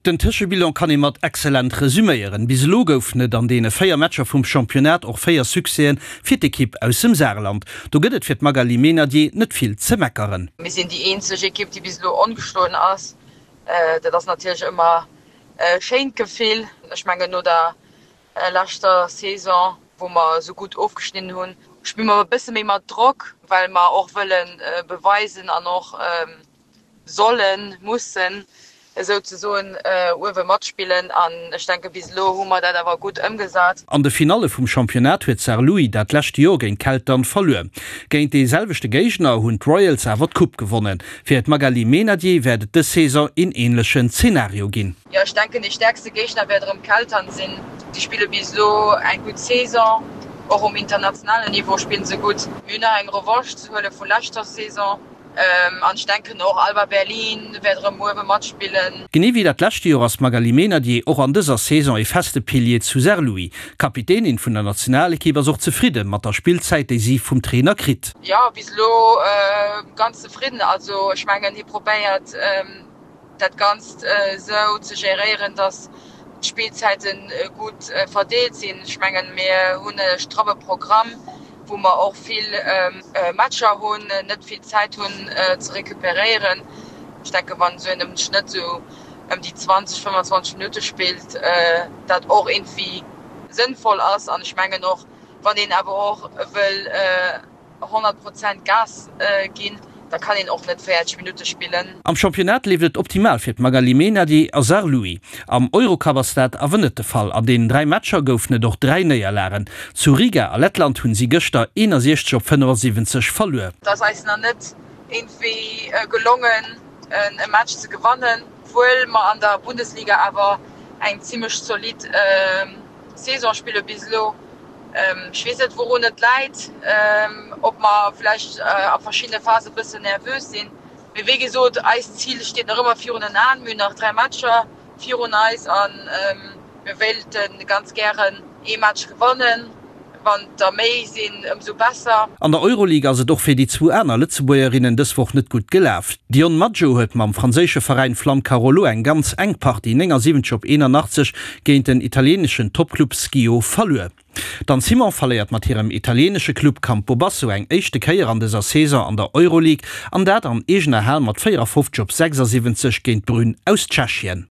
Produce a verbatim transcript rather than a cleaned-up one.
Den Tëschebilan kann ee mat excellent resüméieren. Bis elo goufen et an deene véier Matcher vum Championnat och véier Succèsen fir d'Ekipp aus dem Saarland. Do gëtt et fir d'Magali Meynadier net vill ze meckeren. Mir sinn déi eenzeg Ekipp, déi bis elo ongeschloen ass. Dat ass natierlech ëmmer e schéint Gefill. Ech mengen no der leschter Saison, wou mer esou gutt ofgeschnidden hunn, spille mer e bësse méi mat Drock, well mer och wëlle beweisen an och sollen, mussen esouzesoen uewe matspillen an ech denke bis elo hu mer dat awer gutt ëmgesat. An de Finalle vum Championnat huet Saarlouis dat lescht Joer géint Keltern verluer. Géint dee selwechte Géigner hunn d'Royals awer d'Coupe gewonnen. Fir d'Magali Meynadier wäert et dës Saison een änlechen Zenario ginn. Jo, ech denken dee stäerkste Géigner wäert erëm Keltern sinn. Si spille bis elo eng gutt Saison, och um internationalen Niveau spillen se gutt. Mir hunn nach eng Revanche ze huele vu leschter Saison. An ech denken och Alba Berlin wäert erëm uewe matspillen. Genee wéi dat leschte Joer ass d'Magali Meynadier och an dëser Saison ee feste Pilier zu Saarlouis. D'Kapitänin vun der Nationalekipp ass och zefridde mat der Spillzäit, déi si vum Trainer kritt. Jo, bis elo ganz zefridden. Also ech mengen hie probéiert dat Ganzt esou ze geréieren, datt d'Spillzäite gutt verdeelt sinn. Ech mengen mir hunn e stramme Programm. wou mer och vill Matcher hunn, net vill Zäit hunn ze recuperéieren. Ech denke wann esou een am Schnëtt esou ëm déi zwanzeg, fëmmendzwanzeg Minutte spillt, dat och iergendwéi sënnvoll ass. An ech mengen och, wann een awer och wëll honnert Prozent Gas ginn, da kann een och net véierzeg Minutte spillen. Am Championnat leeft et optimal fir d'Magali Meynadier a Saarlouis. Am Eurocup ass dat awer net de Fall. An deenen dräi Matcher goufen et och dräi Néierlagen. Zu Riga a Lettland hunn si gëschter eenasiechzeg op fënnefasiwwenzeg verluer. Et ass eis nach net iergendwéi gelongen e Match ze gewannen, obwuel mer an der Bundesliga awer eng zimmlech zolidd Saison spille bis elo. Ech weess net wourun et läit, ob mer vläicht a verschiddene Phase e bëssen nervös sinn. Mee wéi gesot, eist Zil steet nach ëmmer virun den Aen. Mir hunn nach dräi Matcher virun eis a mir wéilte ganz gären ee Match gewannen. Wann der méi sinn, ëmsou besser. An der Euroleague ass et och fir déi zwou aner Lëtzebuergerinnen dës Woch net gutt gelaf. D'Dionne Maggio huet mam franséische Veräin Flamme Carolo eng ganz enk Partie néngasiwwenzeg op eenanachtzeg géint den italieeneschen Toppclub Schio verluer. D'Anne Simon verléiert mat hirem italieenesche Club Campobasso eng éischte Kéier an dëser Saison an der Euroleague an dat an eegener Hal mat véierafofzeg op sechsasiwwenzeg géint Brünn aus Tschechien.